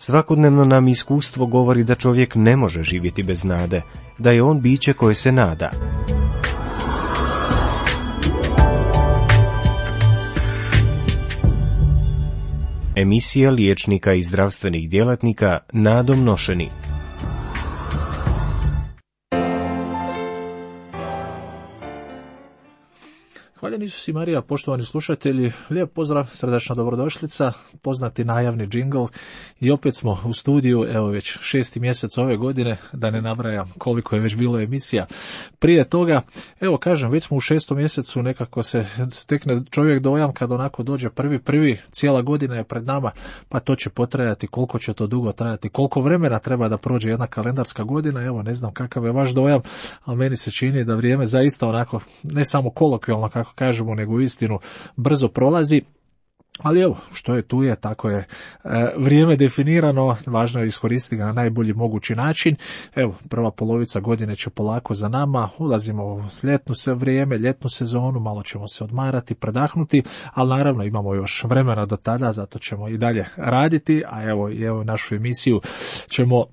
Svakodnevno nam iskustvo govori da čovjek ne može živjeti bez nade, da je on biće koje se nada. Emisija liječnika i zdravstvenih djelatnika nadom nošeni. Hvaljeni Isus i Marija, poštovani slušatelji, lijep pozdrav, srdačna dobrodošlica, poznati najavni džingl i opet smo u studiju, evo već 6. mjesec ove godine, da ne nabrajam koliko je već bilo emisija prije toga. Evo kažem, već smo u 6. mjesecu, nekako se stekne čovjek dojam kad onako dođe prvi, cijela godina je pred nama, pa to će potrajati, koliko će to dugo trajati, koliko vremena treba da prođe jedna kalendarska godina, evo ne znam kakav je vaš dojam, ali meni se čini da vrijeme zaista onako, ne samo kolokvijalno kako kažemo, nego istinu brzo prolazi. Ali evo, što je tu je, tako je vrijeme definirano, važno je iskoristiti ga na najbolji mogući način. Evo, prva polovica godine će polako za nama, ulazimo u ljetnu sezonu, malo ćemo se odmarati, predahnuti, ali naravno imamo još vremena do tada, zato ćemo i dalje raditi, a evo našu emisiju ćemo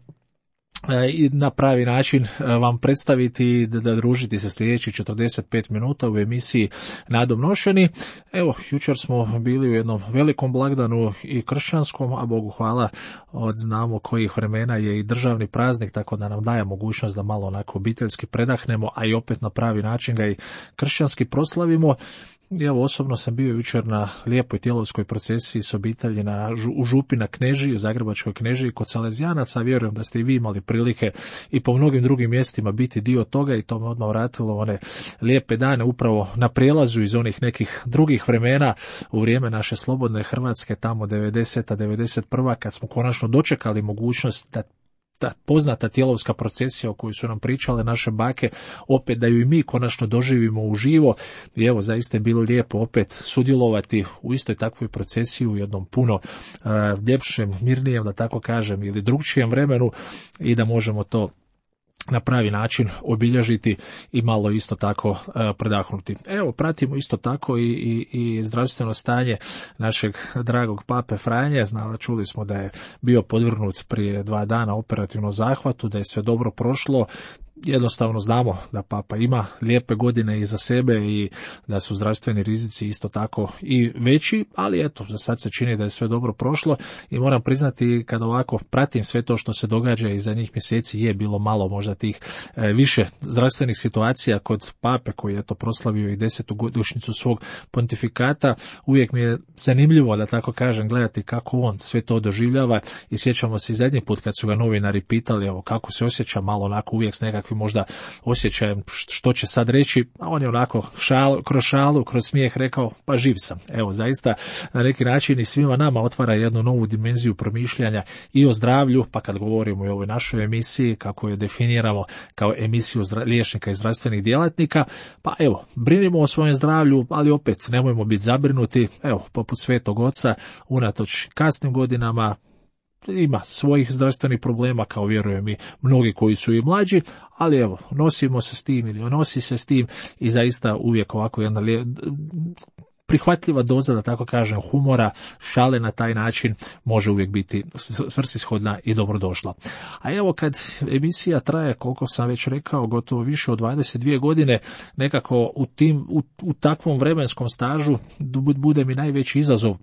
i na pravi način vam predstaviti, da družiti se sljedećih 45 minuta u emisiji Nadom nošeni. Evo, jučer smo bili u jednom velikom blagdanu i kršćanskom, a Bogu hvala, od znamo kojih vremena je i državni praznik, tako da nam daje mogućnost da malo onako obiteljski predahnemo, a i opet na pravi način ga i kršćanski proslavimo. Evo, osobno sam bio jučer na lijepoj tjelovskoj procesiji s obitelji u Župi na Knežiji, u Zagrebačkoj Knežiji kod Salezijanaca. Vjerujem da ste i vi imali prilike i po mnogim drugim mjestima biti dio toga i to me odmah vratilo one lijepe dane upravo na prijelazu iz onih nekih drugih vremena u vrijeme naše slobodne Hrvatske, tamo 90. 91. kad smo konačno dočekali mogućnost da ta poznata tjelovska procesija o kojoj su nam pričale naše bake, opet da ju i mi konačno doživimo uživo. I evo, zaista je bilo lijepo opet sudjelovati u istoj takvoj procesiji u jednom puno ljepšem, mirnijem, da tako kažem, ili drugčijem vremenu i da možemo to na pravi način obilježiti i malo isto tako predahnuti. Evo, pratimo isto tako i zdravstveno stanje našeg dragog pape Franje. Čuli smo da je bio podvrgnut prije 2 dana operativnom zahvatu, da je sve dobro prošlo. Jednostavno znamo da papa ima lijepe godine iza sebe i da su zdravstveni rizici isto tako i veći, ali eto, za sad se čini da je sve dobro prošlo i moram priznati, kad ovako pratim sve to što se događa i za njih mjeseci je bilo malo možda tih više zdravstvenih situacija kod pape koji je to proslavio i 10. godišnjicu svog pontifikata. Uvijek mi je zanimljivo, da tako kažem, gledati kako on sve to doživljava i sjećamo se i zadnji put kad su ga novinari pitali evo kako se osjeća, malo onako uvijek s nekakvim možda osjećajem što će sad reći, a on je onako kroz šalu, kroz smijeh rekao, pa živ sam. Evo, zaista na neki način i svima nama otvara jednu novu dimenziju promišljanja i o zdravlju, pa kad govorimo i o ovoj našoj emisiji, kako je definiramo kao emisiju liječnika i zdravstvenih djelatnika, pa evo, brinimo o svojem zdravlju, ali opet nemojmo biti zabrinuti, evo, poput Svetog Oca, unatoč kasnim godinama, ima svojih zdravstvenih problema, kao vjerujem i mnogi koji su i mlađi, ali evo, nosimo se s tim ili nosi se s tim i zaista uvijek ovako jedna prihvatljiva doza, da tako kažem, humora, šale na taj način može uvijek biti svrsishodna i dobrodošla. A evo, kad emisija traje, koliko sam već rekao, gotovo više od 22 godine, nekako u takvom vremenskom stažu bude mi najveći izazov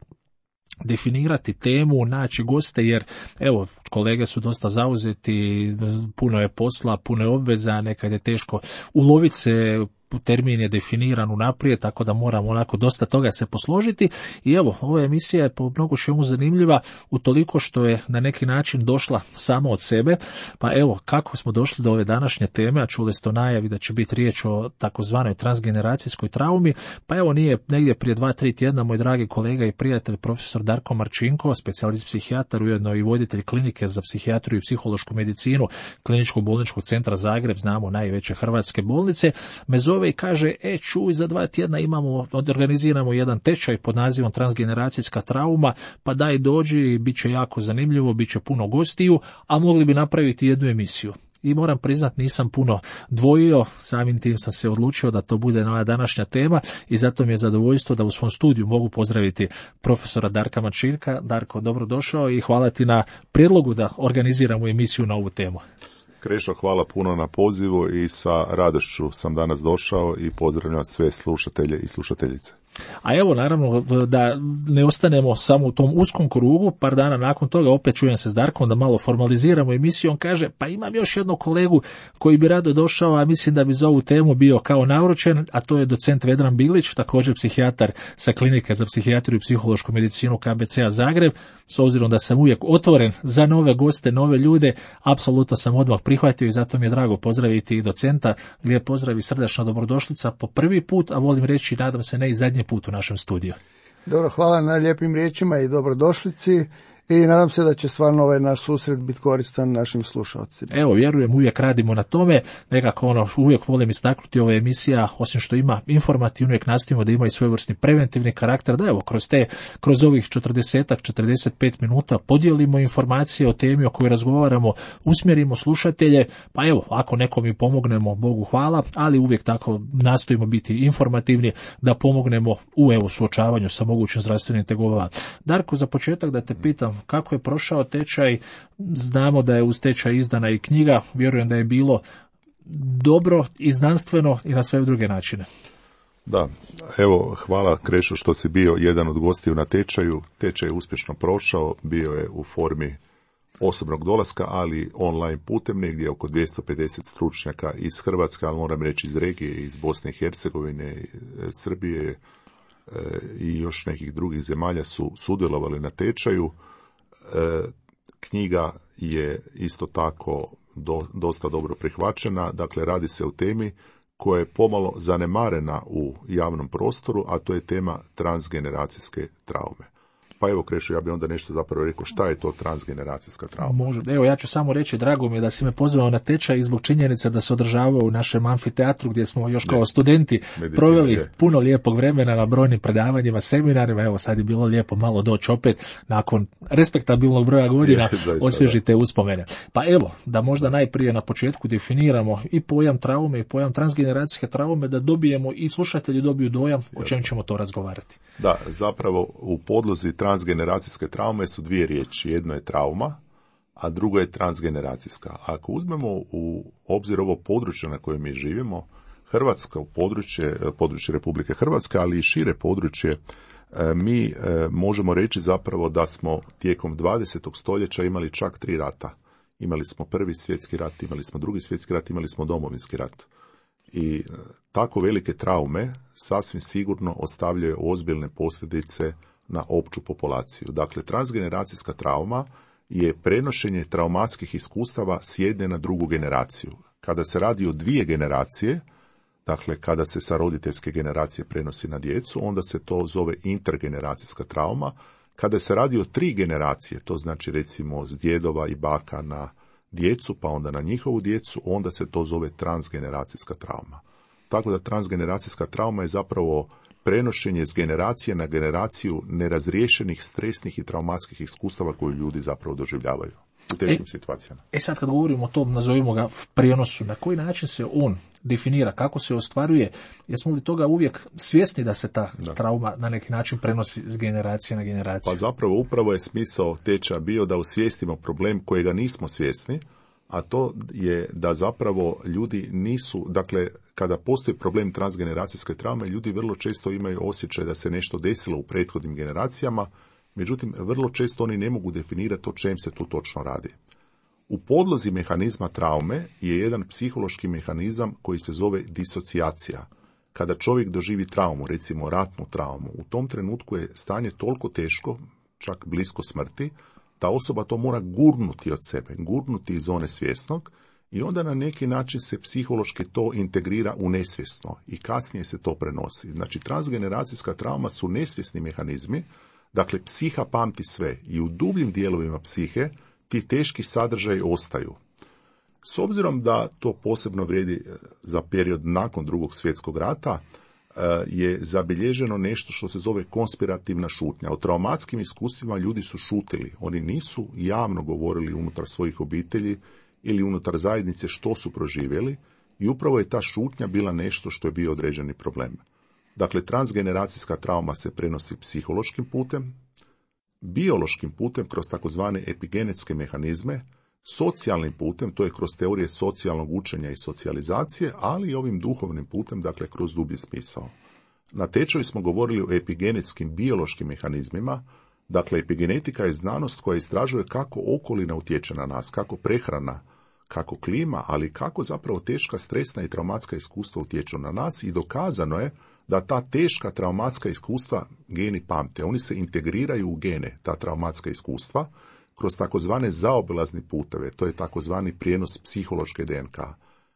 definirati temu, naći goste, jer evo, kolege su dosta zauzeti, puno je posla, puno je obveza, nekad je teško uloviti se, termin je definiran unaprijed, tako da moramo onako dosta toga se posložiti i evo, ova emisija je po mnogo čemu zanimljiva utoliko što je na neki način došla sama od sebe, pa evo, kako smo došli do ove današnje teme, a čuli ste o najavi da će biti riječ o takozvanoj transgeneracijskoj traumi, pa evo, nije negdje prije 2-3 tjedna moj dragi kolega i prijatelj profesor Darko Marčinko, specijalist psihijatar, ujedno i voditelj klinike za psihijatriju i psihološku medicinu Kliničkog bolničkog centra Zagreb, znamo najveće hrvatske bolnice, me zove i kaže, čuj, za 2 tjedna organiziramo jedan tečaj pod nazivom transgeneracijska trauma, pa daj dođi, bit će jako zanimljivo, bit će puno gostiju, a mogli bi napraviti jednu emisiju. i moram priznat nisam puno dvojio, samim tim sam se odlučio da to bude moja današnja tema i zato mi je zadovoljstvo da u svom studiju mogu pozdraviti profesora Darka Mačirka. Darko, dobrodošao i hvala ti na prijedlogu da organiziramo emisiju na ovu temu. Krešo, hvala puno na pozivu i sa radošću sam danas došao i pozdravljam sve slušatelje i slušateljice. A evo, naravno, da ne ostanemo samo u tom uskom krugu, par dana nakon toga opet čujem se s Darkom da malo formaliziramo emisiju. On kaže, pa imam još jednog kolegu koji bi rado došao, a mislim da bi za ovu temu bio kao naručen, a to je docent Vedran Bilić, također psihijatar sa Klinike za psihijatriju i psihološku medicinu KBC-a Zagreb. S obzirom da sam uvijek otvoren za nove goste, nove ljude, apsolutno sam odmah prihvatio i zato mi je drago pozdraviti i docenta. Lijep pozdrav i srdačna dobrodošlica po prvi put, a volim reći, nadam se ne i zadnji put u našem studiju. Dobro, hvala na lijepim riječima i dobrodošlici i nadam se da će stvarno ovaj naš susret biti koristan našim slušalcima. Evo, vjerujem, uvijek radimo na tome, nekako uvijek volim istaknuti ova emisija, osim što ima informativno, uvijek nastavimo da ima i svojevrsni preventivni karakter, da evo, kroz ovih 45 minuta podijelimo informacije o temi o kojoj razgovaramo, usmjerimo slušatelje, pa evo, ako nekom i pomognemo, Bogu hvala, ali uvijek tako nastojimo biti informativni da pomognemo u suočavanju sa mogućim zdravstvenim tegobama. Darko, za početak da te pitam, kako je prošao tečaj? Znamo da je uz tečaj izdana i knjiga, vjerujem da je bilo dobro i znanstveno i na sve druge načine. Da, evo, hvala Krešo što si bio jedan od gostiju na tečaju. Tečaj je uspješno prošao, bio je u formi osobnog dolaska, ali online putem, negdje oko 250 stručnjaka iz Hrvatske, ali moram reći iz regije, iz Bosne i Hercegovine, Srbije i još nekih drugih zemalja su sudjelovali na tečaju. Knjiga je isto tako dosta dobro prihvaćena, dakle radi se o temi koja je pomalo zanemarena u javnom prostoru, a to je tema transgeneracijske traume. Pa evo, Krešo, ja bih onda nešto zapravo rekao šta je to transgeneracijska trauma. Može. Evo, ja ću samo reći, drago mi je da si me pozvao na tečaj i zbog činjenice da se održavao u našem amfiteatru gdje smo još kao studenti proveli puno lijepog vremena na brojnim predavanjima, seminarima. Evo, sad je bilo lijepo malo doći opet nakon respektabilnog broja godina, osvježite uspomene. Pa evo, da možda najprije na početku definiramo i pojam traume i pojam transgeneracijske traume, da dobijemo i slušatelji dobiju dojam o čem ćemo to razgovarati. Da, zapravo u podlozi transgeneracijske traume su dvije riječi. Jedno je trauma, a drugo je transgeneracijska. Ako uzmemo u obzir ovo područje na kojem mi živimo, Hrvatska, područje Republike Hrvatske, ali i šire područje, mi možemo reći zapravo da smo tijekom 20. stoljeća imali čak 3 rata. Imali smo Prvi svjetski rat, imali smo Drugi svjetski rat, imali smo Domovinski rat. I tako velike traume sasvim sigurno ostavljaju ozbiljne posljedice na opću populaciju. Dakle, transgeneracijska trauma je prenošenje traumatskih iskustava s jedne na drugu generaciju. Kada se radi o 2 generacije, dakle kada se sa roditeljske generacije prenosi na djecu, onda se to zove intergeneracijska trauma. Kada se radi o 3 generacije, to znači recimo s djedova i baka na djecu, pa onda na njihovu djecu, onda se to zove transgeneracijska trauma. Tako da transgeneracijska trauma je zapravo prenošenje s generacije na generaciju nerazriješenih stresnih i traumatskih iskustava koju ljudi zapravo doživljavaju u teškim situacijama. Sad kad govorimo o tom, nazovimo ga prijenosu, na koji način se on definira, kako se ostvaruje, jesmo li toga uvijek svjesni da se ta trauma na neki način prenosi s generacije na generaciju? Pa zapravo upravo je smisao tečaja bio da osvijestimo problem kojega nismo svjesni, a to je da zapravo ljudi nisu, dakle, kada postoji problem transgeneracijske traume, ljudi vrlo često imaju osjećaj da se nešto desilo u prethodnim generacijama, međutim, vrlo često oni ne mogu definirati o čem se tu točno radi. U podlozi mehanizma traume je jedan psihološki mehanizam koji se zove disocijacija. Kada čovjek doživi traumu, recimo ratnu traumu, u tom trenutku je stanje toliko teško, čak blisko smrti, ta osoba to mora gurnuti od sebe, gurnuti iz zone svjesnog i onda na neki način se psihološki to integrira u nesvjesno i kasnije se to prenosi. Znači, transgeneracijska trauma su nesvjesni mehanizmi, dakle, psiha pamti sve i u dubljim dijelovima psihe ti teški sadržaji ostaju. S obzirom da to posebno vrijedi za period nakon Drugog svjetskog rata, je zabilježeno nešto što se zove konspirativna šutnja. O traumatskim iskustvima ljudi su šutili. Oni nisu javno govorili unutar svojih obitelji ili unutar zajednice što su proživjeli i upravo je ta šutnja bila nešto što je bio određeni problem. Dakle, transgeneracijska trauma se prenosi psihološkim putem, biološkim putem kroz takozvane epigenetske mehanizme, socijalnim putem, to je kroz teorije socijalnog učenja i socijalizacije, ali i ovim duhovnim putem, dakle kroz dublji smisao. Na tečaju smo govorili o epigenetskim biološkim mehanizmima. Dakle, epigenetika je znanost koja istražuje kako okolina utječe na nas, kako prehrana, kako klima, ali kako zapravo teška stresna i traumatska iskustva utječu na nas i dokazano je da ta teška traumatska iskustva geni pamte. Oni se integriraju u gene, ta traumatska iskustva, kroz takozvane zaobilazne puteve, to je takozvani prijenos psihološke DNK.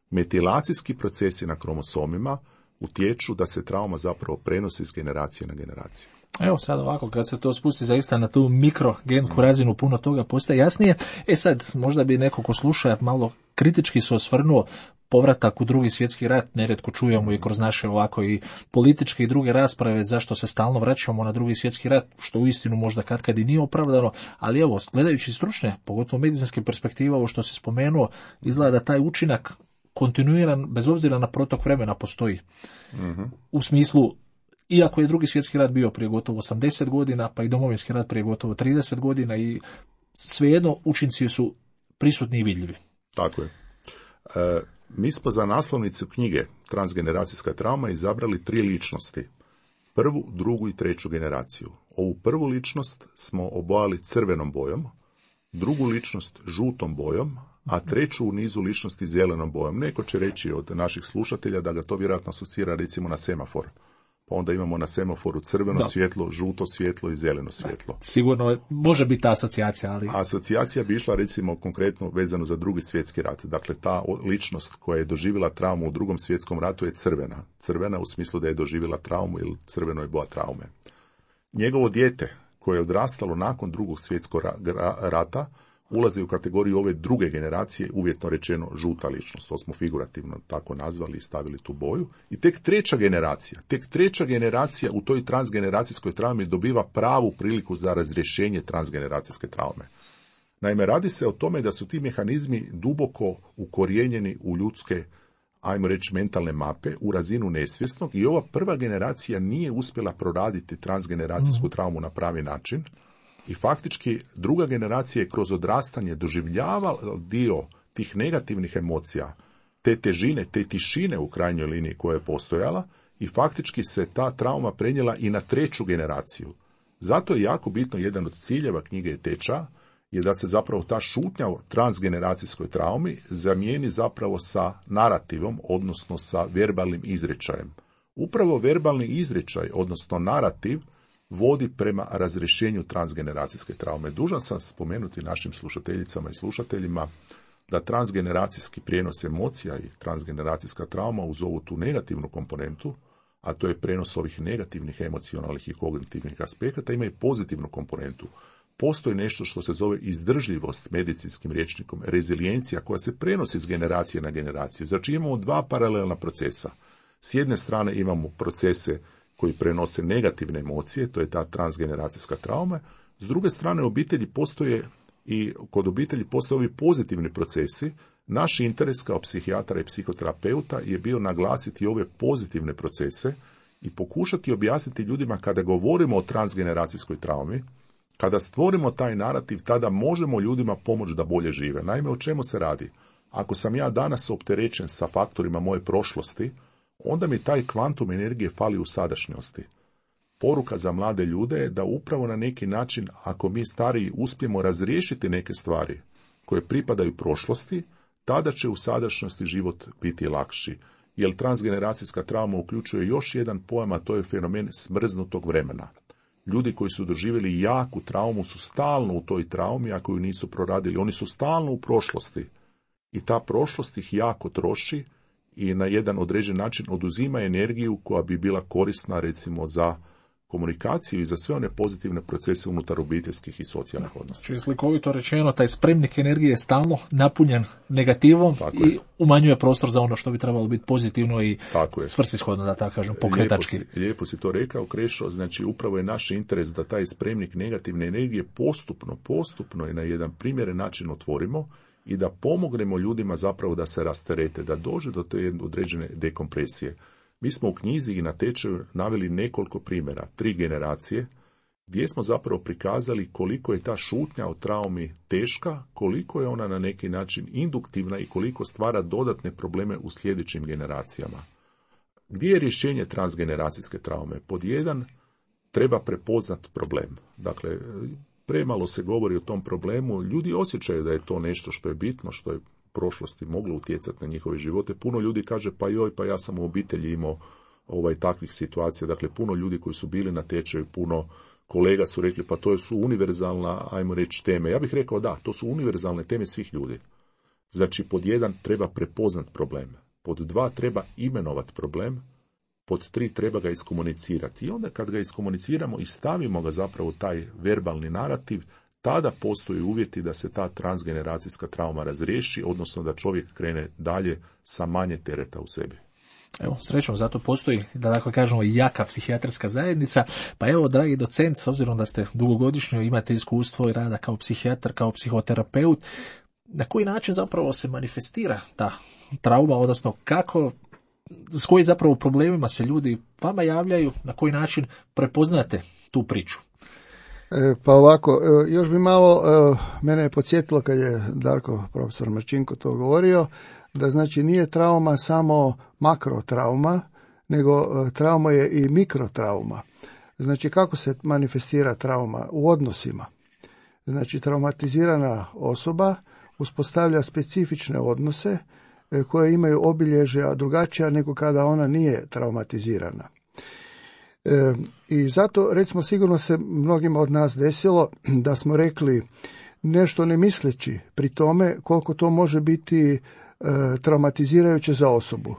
Metilacijski procesi na kromosomima utječu da se trauma zapravo prenosi iz generacije na generaciju. Evo sad ovako, kad se to spusti zaista na tu mikrogensku razinu, puno toga postaje jasnije. Sad, možda bi neko ko sluša malo kritički se osvrnuo povratak u Drugi svjetski rat, nerijetko čujemo i kroz naše ovako i političke i druge rasprave zašto se stalno vraćamo na Drugi svjetski rat, što uistinu možda katkad i nije opravdano, ali evo, gledajući stručne, pogotovo medicinske perspektive, ovo što se spomenuo, izgleda da taj učinak kontinuiran, bez obzira na protok vremena, postoji. U smislu, iako je Drugi svjetski rat bio prije gotovo 80 godina, pa i Domovinski rat prije gotovo 30 godina i svejedno učinci su prisutni i vidljivi. Tako je. Mi smo za naslovnicu knjige Transgeneracijska trauma izabrali 3 ličnosti. Prvu, drugu i treću generaciju. Ovu prvu ličnost smo obojali crvenom bojom, drugu ličnost žutom bojom, a treću u nizu ličnosti zelenom bojom. Neko će reći od naših slušatelja da ga to vjerojatno asocira recimo na semafor. Pa onda imamo na semaforu crveno svjetlo, žuto svjetlo i zeleno svjetlo. Sigurno može biti ta asocijacija, ali... Asocijacija bi išla recimo konkretno vezano za Drugi svjetski rat. Dakle, ta ličnost koja je doživjela traumu u Drugom svjetskom ratu je crvena. Crvena u smislu da je doživjela traumu ili crveno je boja traume. Njegovo dijete koje je odrastalo nakon Drugog svjetskog rata ulazi u kategoriju ove druge generacije, uvjetno rečeno žuta ličnost. To smo figurativno tako nazvali i stavili tu boju. I tek treća generacija u toj transgeneracijskoj traumi dobiva pravu priliku za razrješenje transgeneracijske traume. Naime, radi se o tome da su ti mehanizmi duboko ukorijenjeni u ljudske, ajmo reći, mentalne mape, u razinu nesvjesnog i ova prva generacija nije uspjela proraditi transgeneracijsku traumu na pravi način. I faktički druga generacija je kroz odrastanje doživljavala dio tih negativnih emocija, te težine, te tišine u krajnjoj liniji koja je postojala i faktički se ta trauma prenijela i na treću generaciju. Zato je jako bitno, jedan od ciljeva knjige Teča je da se zapravo ta šutnja o transgeneracijskoj traumi zamijeni zapravo sa narativom, odnosno sa verbalnim izričajem. Upravo verbalni izričaj, odnosno narativ, vodi prema razrješenju transgeneracijske traume. Dužan sam spomenuti našim slušateljicama i slušateljima da transgeneracijski prijenos emocija i transgeneracijska trauma uz ovu tu negativnu komponentu, a to je prenos ovih negativnih emocionalnih i kognitivnih aspekata, ima i pozitivnu komponentu. Postoji nešto što se zove izdržljivost medicinskim rječnikom, rezilijencija koja se prenosi iz generacije na generaciju. Znači imamo 2 paralelna procesa. S jedne strane imamo procese koji prenose negativne emocije, to je ta transgeneracijska trauma. S druge strane, kod obitelji postoje ovi pozitivni procesi. Naš interes kao psihijatara i psihoterapeuta je bio naglasiti ove pozitivne procese i pokušati objasniti ljudima kada govorimo o transgeneracijskoj traumi, kada stvorimo taj narativ, tada možemo ljudima pomoći da bolje žive. Naime, o čemu se radi? Ako sam ja danas opterećen sa faktorima moje prošlosti, onda mi taj kvantum energije fali u sadašnjosti. Poruka za mlade ljude je da upravo na neki način, ako mi stariji uspijemo razriješiti neke stvari koje pripadaju prošlosti, tada će u sadašnjosti život biti lakši. Jer transgeneracijska trauma uključuje još jedan pojam, a to je fenomen smrznutog vremena. Ljudi koji su doživjeli jaku traumu su stalno u toj traumi, ako ju nisu proradili. Oni su stalno u prošlosti. I ta prošlost ih jako troši i na jedan određen način oduzima energiju koja bi bila korisna recimo za komunikaciju i za sve one pozitivne procese unutar obiteljskih i socijalnih odnosa. Čili slikovito rečeno, taj spremnik energije je stalno napunjen negativom i umanjuje prostor za ono što bi trebalo biti pozitivno i svrsishodno, da tako kažem, pokretački. Lijepo si to rekao, Krešo, znači upravo je naš interes da taj spremnik negativne energije postupno i na jedan primjeren način otvorimo i da pomognemo ljudima zapravo da se rasterete, da dođe do te određene dekompresije. Mi smo u knjizi i na tečaju naveli nekoliko primjera, 3 generacije, gdje smo zapravo prikazali koliko je ta šutnja o traumi teška, koliko je ona na neki način induktivna i koliko stvara dodatne probleme u sljedećim generacijama. Gdje je rješenje transgeneracijske traume? Pod 1, treba prepoznat problem. Dakle, premalo se govori o tom problemu, ljudi osjećaju da je to nešto što je bitno, što je u prošlosti moglo utjecati na njihove živote. Puno ljudi kaže, pa ja sam u obitelji imao takvih situacija, dakle puno ljudi koji su bili na tečaju, puno kolega su rekli, pa to su univerzalna, ajmo reći, teme. Ja bih rekao da, to su univerzalne teme svih ljudi. Znači, pod 1 treba prepoznat problem, pod 2 treba imenovat problem, pod 3 treba ga iskomunicirati. I onda kad ga iskomuniciramo i stavimo ga zapravo u taj verbalni narativ, tada postoje uvjeti da se ta transgeneracijska trauma razriješi, odnosno da čovjek krene dalje sa manje tereta u sebi. Evo, srećom, zato postoji, da tako kažemo, jaka psihijatrska zajednica. Pa evo, dragi docent, s obzirom da ste dugogodišnjo, imate iskustvo i rada kao psihijatar, kao psihoterapeut, na koji način zapravo se manifestira ta trauma, odnosno s kojim zapravo problemima se ljudi vama javljaju, na koji način prepoznate tu priču? Pa ovako, još bi malo, mene je podsjetilo kad je Darko, profesor Marčinko, to govorio, da znači nije trauma samo makrotrauma, nego trauma je i mikrotrauma. Znači kako se manifestira trauma? U odnosima. Znači traumatizirana osoba uspostavlja specifične odnose koje imaju obilježja drugačija nego kada ona nije traumatizirana. I zato, recimo, sigurno se mnogima od nas desilo da smo rekli nešto ne misleći pri tome koliko to može biti traumatizirajuće za osobu.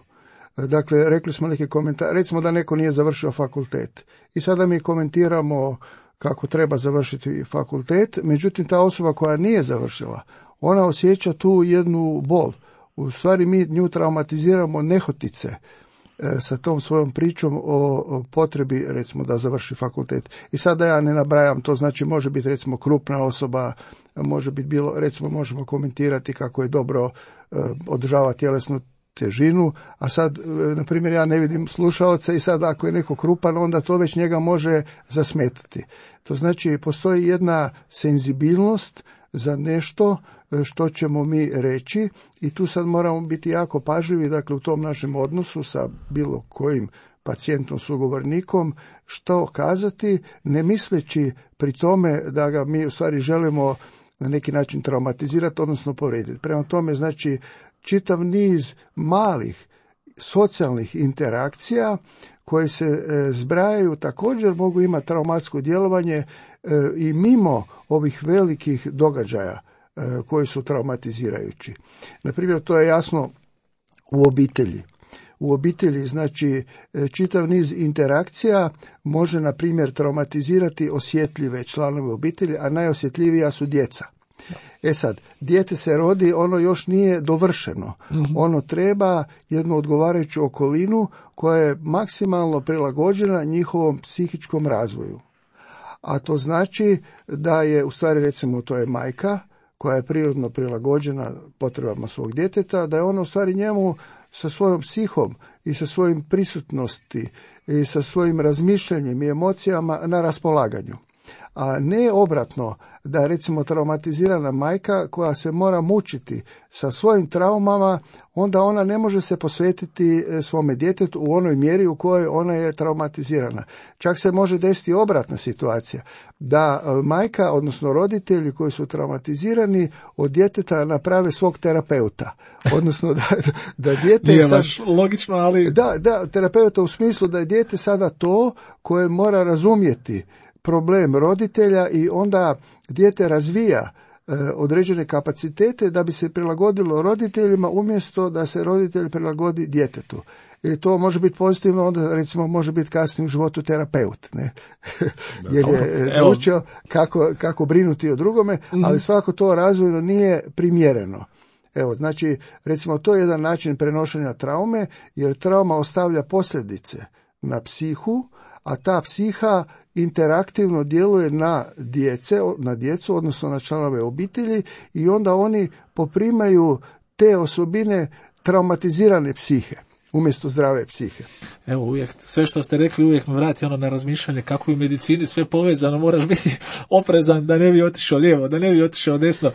Dakle, rekli smo neke komentare, recimo da neko nije završio fakultet i sada mi komentiramo kako treba završiti fakultet, međutim ta osoba koja nije završila, ona osjeća tu jednu bol. U stvari mi nju traumatiziramo nehotice sa tom svojom pričom o potrebi, recimo, da završi fakultet. I sada ja ne nabrajam, to znači može biti, recimo, krupna osoba, može biti bilo, recimo, možemo komentirati kako je dobro održava tjelesnu težinu, a sad, na primjer, ja ne vidim slušaoca i sad ako je neko krupan, onda to već njega može zasmetati. To znači, postoji jedna senzibilnost za nešto što ćemo mi reći i tu sad moramo biti jako pažljivi, dakle, u tom našem odnosu sa bilo kojim pacijentom, sugovornikom, što kazati, ne misleći pri tome da ga mi u stvari želimo na neki način traumatizirati, odnosno povrijediti. Prema tome, znači, čitav niz malih socijalnih interakcija koje se zbrajaju također mogu imati traumatsko djelovanje i mimo ovih velikih događaja koji su traumatizirajući. Naprimjer, to je jasno u obitelji. U obitelji, znači, čitav niz interakcija može, na primjer, traumatizirati osjetljive članove obitelji, a najosjetljivija su djeca. Sad, dijete se rodi, ono još nije dovršeno. Ono treba jednu odgovarajuću okolinu koja je maksimalno prilagođena njihovom psihičkom razvoju. A to znači da je, u stvari, recimo, to je majka koja je prirodno prilagođena potrebama svog djeteta, da je ona u stvari njemu sa svojom psihom i sa svojim prisutnosti i sa svojim razmišljanjem i emocijama na raspolaganju. A ne obratno, da recimo traumatizirana majka koja se mora mučiti sa svojim traumama, onda ona ne može se posvetiti svome djetetu u onoj mjeri u kojoj ona je traumatizirana. Čak se može desiti obratna situacija, da majka, odnosno roditelji koji su traumatizirani, od djeteta naprave svog terapeuta. Odnosno da dijete... Nije baš logično, ali... Da, terapeuta u smislu da je dijete sada to koje mora razumjeti problem roditelja i onda dijete razvija određene kapacitete da bi se prilagodilo roditeljima umjesto da se roditelj prilagodi djetetu. I to može biti pozitivno, onda recimo može biti kasnije u životu terapeut, ne? Jer je naučio kako brinuti o drugome, ali svako to razvojno nije primjereno. Evo, znači, recimo, to je jedan način prenošenja traume, jer trauma ostavlja posljedice na psihu, a ta psiha interaktivno djeluje na djecu, odnosno na članove obitelji, i onda oni poprimaju te osobine traumatizirane psihe umjesto zdrave psihe. Evo, uvijek, sve što ste rekli uvijek me vrati na razmišljanje kako je u medicini sve povezano, moraš biti oprezan da ne bi otišao lijevo, da ne bi otišao desno.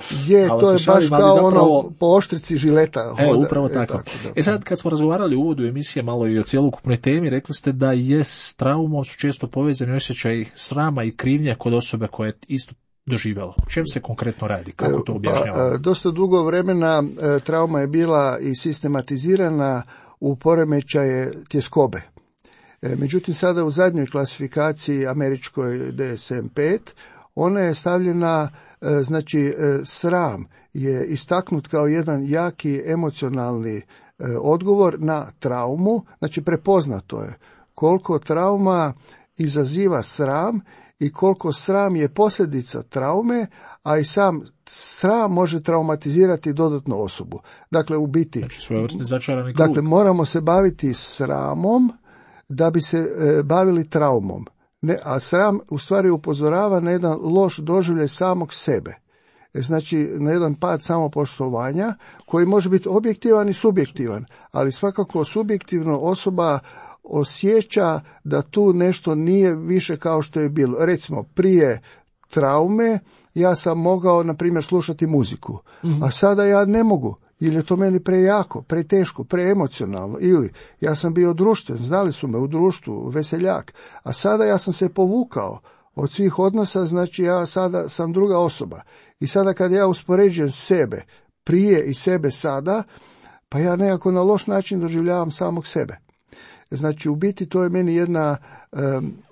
To je baš kao zapravo po oštrici žileta. Upravo tako. Sad kad smo razgovarali u uvodu emisije malo i o cjelokupnoj temi, rekli ste da je s traumom su često povezani osjećaj srama i krivnje kod osobe koja je isto doživjela. O čem se konkretno radi? Kako to objašnjavamo? Dosta dugo vremena trauma je bila i sistematizirana u poremećaje tjeskobe. Međutim, sada u zadnjoj klasifikaciji američkoj DSM-5 ona je stavljena, sram je istaknut kao jedan jaki emocionalni odgovor na traumu, znači prepoznato je koliko trauma izaziva sram i koliko sram je posljedica traume, a i sam sram može traumatizirati dodatnu osobu. Dakle, u biti, svojevrsni začarani krug. Dakle, moramo se baviti sramom da bi se bavili traumom. A sram u stvari upozorava na jedan loš doživljaj samog sebe. Znači, na jedan pad samopoštovanja koji može biti objektivan i subjektivan, ali svakako subjektivno osoba osjeća da tu nešto nije više kao što je bilo. Recimo, prije traume ja sam mogao, na primjer, slušati muziku, a sada ja ne mogu, ili je to meni prejako, preteško, preemocionalno, ili ja sam bio društven, znali su me u društvu, veseljak, a sada ja sam se povukao od svih odnosa, znači ja sada sam druga osoba. I sada kad ja uspoređujem sebe prije i sebe sada, pa ja nekako na loš način doživljavam samog sebe. Znači, u biti to je meni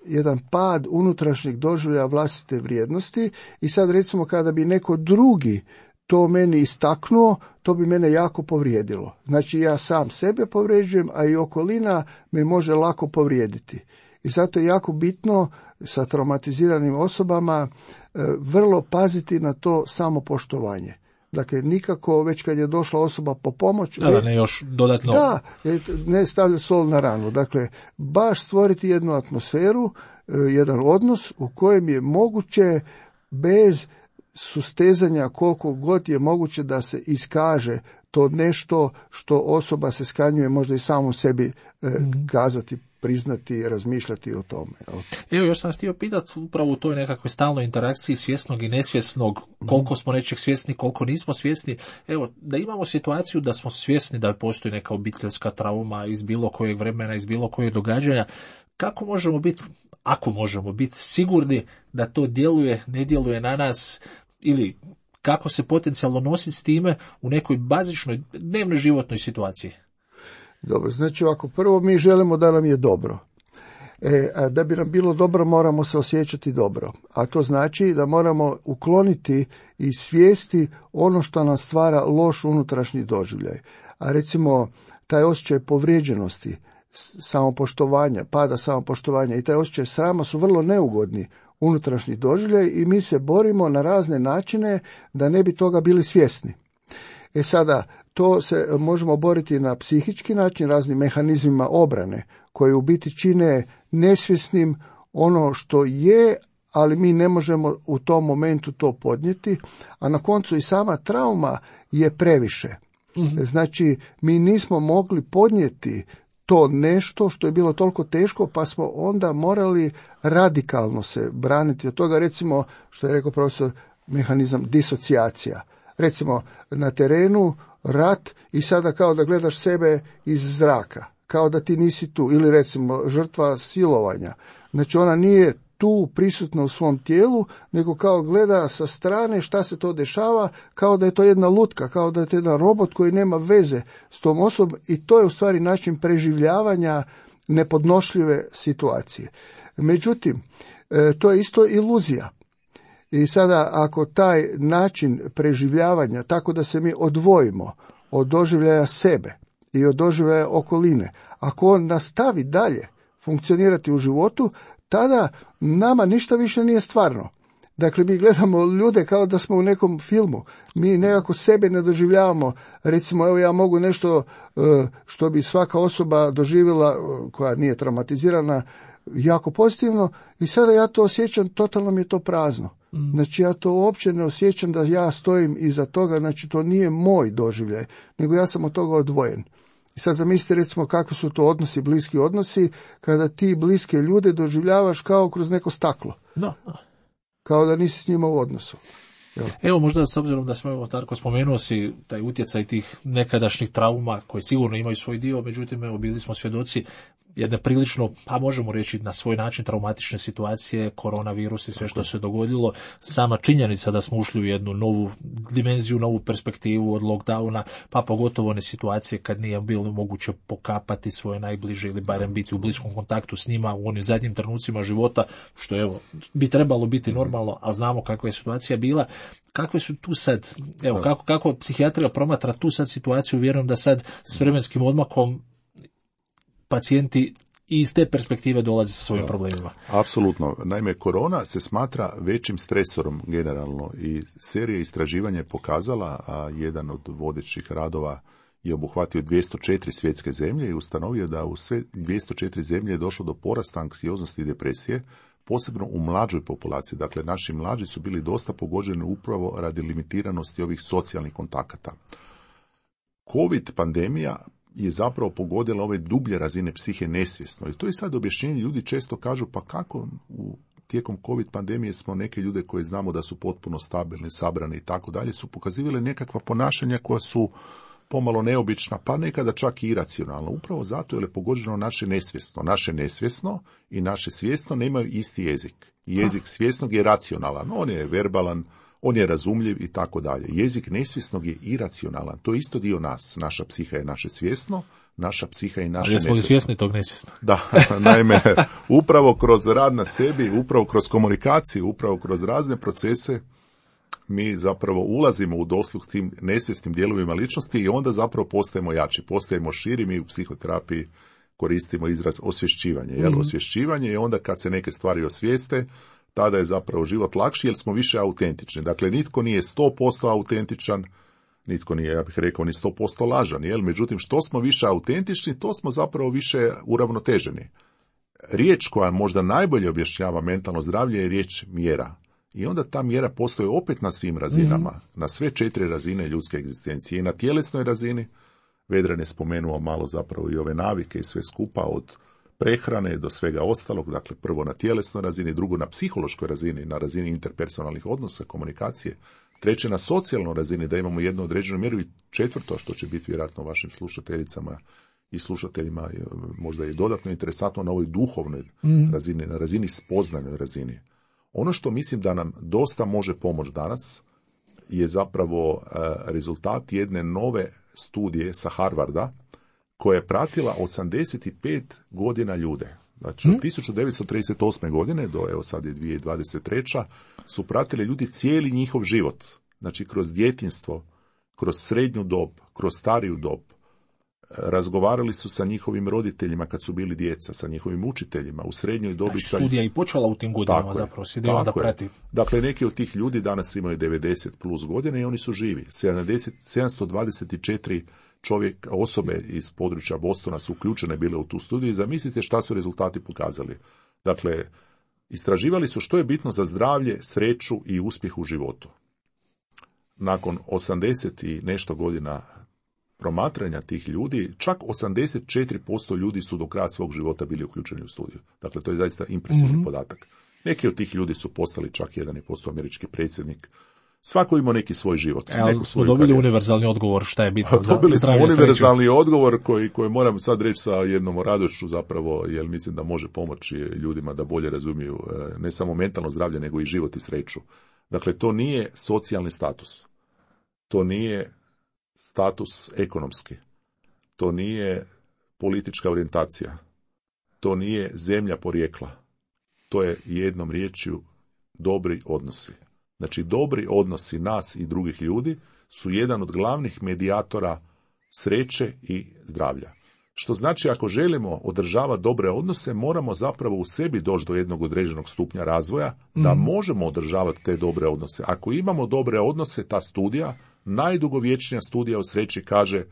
jedan pad unutrašnjeg doživljaja vlastite vrijednosti, i sad recimo kada bi neko drugi to meni istaknuo, to bi mene jako povrijedilo. Znači, ja sam sebe povrijeđujem, a i okolina me može lako povrijediti. I zato je jako bitno sa traumatiziranim osobama vrlo paziti na to samopoštovanje. Dakle, nikako već kad je došla osoba po pomoć... Da, ne još dodatno... Da, ne stavlja sol na ranu. Dakle, baš stvoriti jednu atmosferu, jedan odnos u kojem je moguće bez sustezanja koliko god je moguće da se iskaže to nešto što osoba se skanjuje možda i samom sebi kazati, priznati, razmišljati o tome. Evo, još sam htio pitati upravo u toj nekakvoj stalnoj interakciji svjesnog i nesvjesnog, koliko smo nečeg svjesni, koliko nismo svjesni. Evo, da imamo situaciju da smo svjesni da postoji neka obiteljska trauma iz bilo kojeg vremena, iz bilo kojeg događanja, kako možemo biti, ako možemo biti sigurni da to djeluje, ne djeluje na nas, ili kako se potencijalno nositi s time u nekoj bazičnoj dnevnoj životnoj situaciji? Dobro, znači ovako, prvo mi želimo da nam je dobro. A da bi nam bilo dobro moramo se osjećati dobro. A to znači da moramo ukloniti iz svijesti ono što nam stvara loš unutrašnji doživljaj. A recimo taj osjećaj povrijeđenosti, samopoštovanja, pada samopoštovanja i taj osjećaj srama su vrlo neugodni unutrašnji doživljaj i mi se borimo na razne načine da ne bi toga bili svjesni. Sada, to se možemo boriti na psihički način, raznim mehanizmima obrane, koji u biti čine nesvjesnim ono što je, ali mi ne možemo u tom momentu to podnijeti, a na koncu i sama trauma je previše. Znači, mi nismo mogli podnijeti to nešto što je bilo toliko teško, pa smo onda morali radikalno se braniti od toga, recimo, što je rekao profesor, mehanizam disocijacija. Recimo, na terenu rat i sada kao da gledaš sebe iz zraka, kao da ti nisi tu, ili recimo žrtva silovanja. Znači, ona nije tu prisutna u svom tijelu, nego kao gleda sa strane šta se to dešava, kao da je to jedna lutka, kao da je to jedan robot koji nema veze s tom osobom, i to je u stvari način preživljavanja nepodnošljive situacije. Međutim, to je isto iluzija. I sada, ako taj način preživljavanja, tako da se mi odvojimo od doživljaja sebe i od doživljaja okoline, ako on nastavi dalje funkcionirati u životu, tada nama ništa više nije stvarno. Dakle, mi gledamo ljude kao da smo u nekom filmu. Mi nekako sebe ne doživljavamo. Recimo, evo ja mogu nešto što bi svaka osoba doživjela, koja nije traumatizirana, jako pozitivno, i sada ja to osjećam, totalno mi je to prazno. Znači ja to uopće ne osjećam da ja stojim iza toga, znači to nije moj doživljaj, nego ja sam od toga odvojen. I sad zamislite recimo kakvi su to odnosi, bliski odnosi, kada ti bliske ljude doživljavaš kao kroz neko staklo. Kao da nisi s njima u odnosu. Evo možda s obzirom da smo, evo Darko, spomenuo si taj utjecaj tih nekadašnjih trauma koji sigurno imaju svoj dio, međutim evo bili smo svjedoci jedne prilično, pa možemo reći na svoj način, traumatične situacije, koronavirus i sve što se dogodilo. Sama činjenica da smo ušli u jednu novu dimenziju, novu perspektivu od lockdowna, pa pogotovo one situacije kad nije bilo moguće pokapati svoje najbliže ili barem biti u bliskom kontaktu s njima u onim zadnjim trenucima života, što evo bi trebalo biti normalno, a znamo kakva je situacija bila. Kakve su tu sad, evo kako psihijatrija promatra tu sad situaciju, vjerujem da sad s vremenskim odmakom pacijenti iz te perspektive dolaze sa svojim problemima. Apsolutno. Naime, korona se smatra većim stresorom generalno i serija istraživanja je pokazala, a jedan od vodećih radova je obuhvatio 204 svjetske zemlje i ustanovio da u sve 204 zemlje je došlo do porasta anksioznosti i depresije, posebno u mlađoj populaciji. Dakle, naši mlađi su bili dosta pogođeni upravo radi limitiranosti ovih socijalnih kontakata. COVID pandemija je zapravo pogodila ove dublje razine psihe nesvjesno. I to je sad objašnjenje. Ljudi često kažu, pa kako tijekom COVID pandemije smo neke ljude koje znamo da su potpuno stabilni, sabrani i tako dalje, su pokazivali nekakva ponašanja koja su pomalo neobična, pa nekada čak i iracionalna. Upravo zato jer je pogođeno naše nesvjesno. Naše nesvjesno i naše svjesno nemaju isti jezik. Jezik svjesnog je racionalan, on je verbalan, on je razumljiv i tako dalje. Jezik nesvjesnog je iracionalan. To je isto dio nas. Naša psiha je naše svjesno, naša psiha je naše nesvjesno. Ali smo li svjesni tog nesvjesnog? Da, naime, upravo kroz rad na sebi, upravo kroz komunikaciju, upravo kroz razne procese, mi zapravo ulazimo u dosluh tim nesvjesnim dijelovima ličnosti i onda zapravo postajemo jači, postajemo širi. Mi u psihoterapiji koristimo izraz osvješćivanje. Osvješćivanje je onda kad se neke stvari osvijeste, tada je zapravo život lakši jer smo više autentični. Dakle, nitko nije 100% autentičan, nitko nije, ja bih rekao, ni 100% lažan. Međutim, što smo više autentični, to smo zapravo više uravnoteženi. Riječ koja možda najbolje objašnjava mentalno zdravlje je riječ mjera. I onda ta mjera postoji opet na svim razinama, na sve 4 razine ljudske egzistencije. I na tjelesnoj razini, Vedran je spomenuo malo zapravo i ove navike i sve skupa od prehrane do svega ostalog, dakle prvo na tjelesnoj razini, drugo na psihološkoj razini, na razini interpersonalnih odnosa, komunikacije, treće na socijalnoj razini, da imamo jednu određenu mjeru i četvrto, što će biti vjerojatno vašim slušateljicama i slušateljima možda i dodatno interesantno, na ovoj duhovnoj razini, na razini spoznajnoj razini. Ono što mislim da nam dosta može pomoći danas je zapravo rezultat jedne nove studije sa Harvarda, koja je pratila 85 godina ljude. Znači, od 1938. godine do, evo sad je 2023. su pratili ljudi cijeli njihov život. Znači, kroz djetinjstvo, kroz srednju dob, kroz stariju dob. Razgovarali su sa njihovim roditeljima kad su bili djeca, sa njihovim učiteljima, u srednjoj dobi. Znači, studija i počela u tim godinama zapravo, se da prati. Dakle, neki od tih ljudi danas imaju 90 plus godina i oni su živi. 724 osobe iz područja Bostona su uključene bile u tu studiju i zamislite šta su rezultati pokazali. Dakle, istraživali su što je bitno za zdravlje, sreću i uspjeh u životu. Nakon 80 i nešto godina promatranja tih ljudi, čak 84% ljudi su do kraja svog života bili uključeni u studiju. Dakle, to je zaista impresivni podatak. Neki od tih ljudi su postali čak jedan i postao američki predsjednik. Svako ima neki svoj život. Ali smo dobili univerzalni odgovor šta je bitno za dobili smo univerzalni odgovor koji moram sad reći sa jednom radošću zapravo, jer mislim da može pomoći ljudima da bolje razumiju ne samo mentalno zdravlje, nego i život i sreću. Dakle, to nije socijalni status. To nije status ekonomski. To nije politička orijentacija. To nije zemlja porijekla. To je jednom riječju dobri odnosi. Znači, dobri odnosi nas i drugih ljudi su jedan od glavnih medijatora sreće i zdravlja. Što znači, ako želimo održavati dobre odnose, moramo zapravo u sebi doći do jednog određenog stupnja razvoja da možemo održavati te dobre odnose. Ako imamo dobre odnose, ta studija, najdugovječnija studija o sreći kaže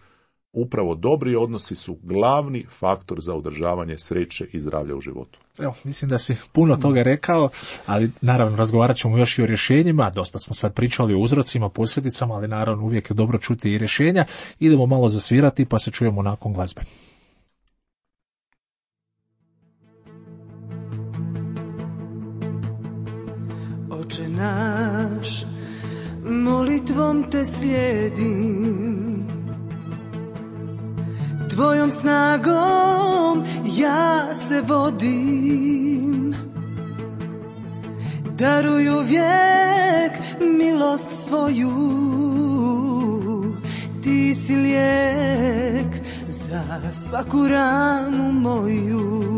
upravo dobri odnosi su glavni faktor za održavanje sreće i zdravlja u životu. Evo, mislim da si puno toga rekao, ali naravno razgovarat ćemo još i o rješenjima. Dosta smo sad pričali o uzrocima, posljedicama, ali naravno uvijek je dobro čuti i rješenja. Idemo malo zasvirati pa se čujemo nakon glazbe. Oče naš, molitvom te slijedim, tvojom snagom ja se vodim. Daruj uvijek milost svoju, ti si lijek za svaku ranu moju.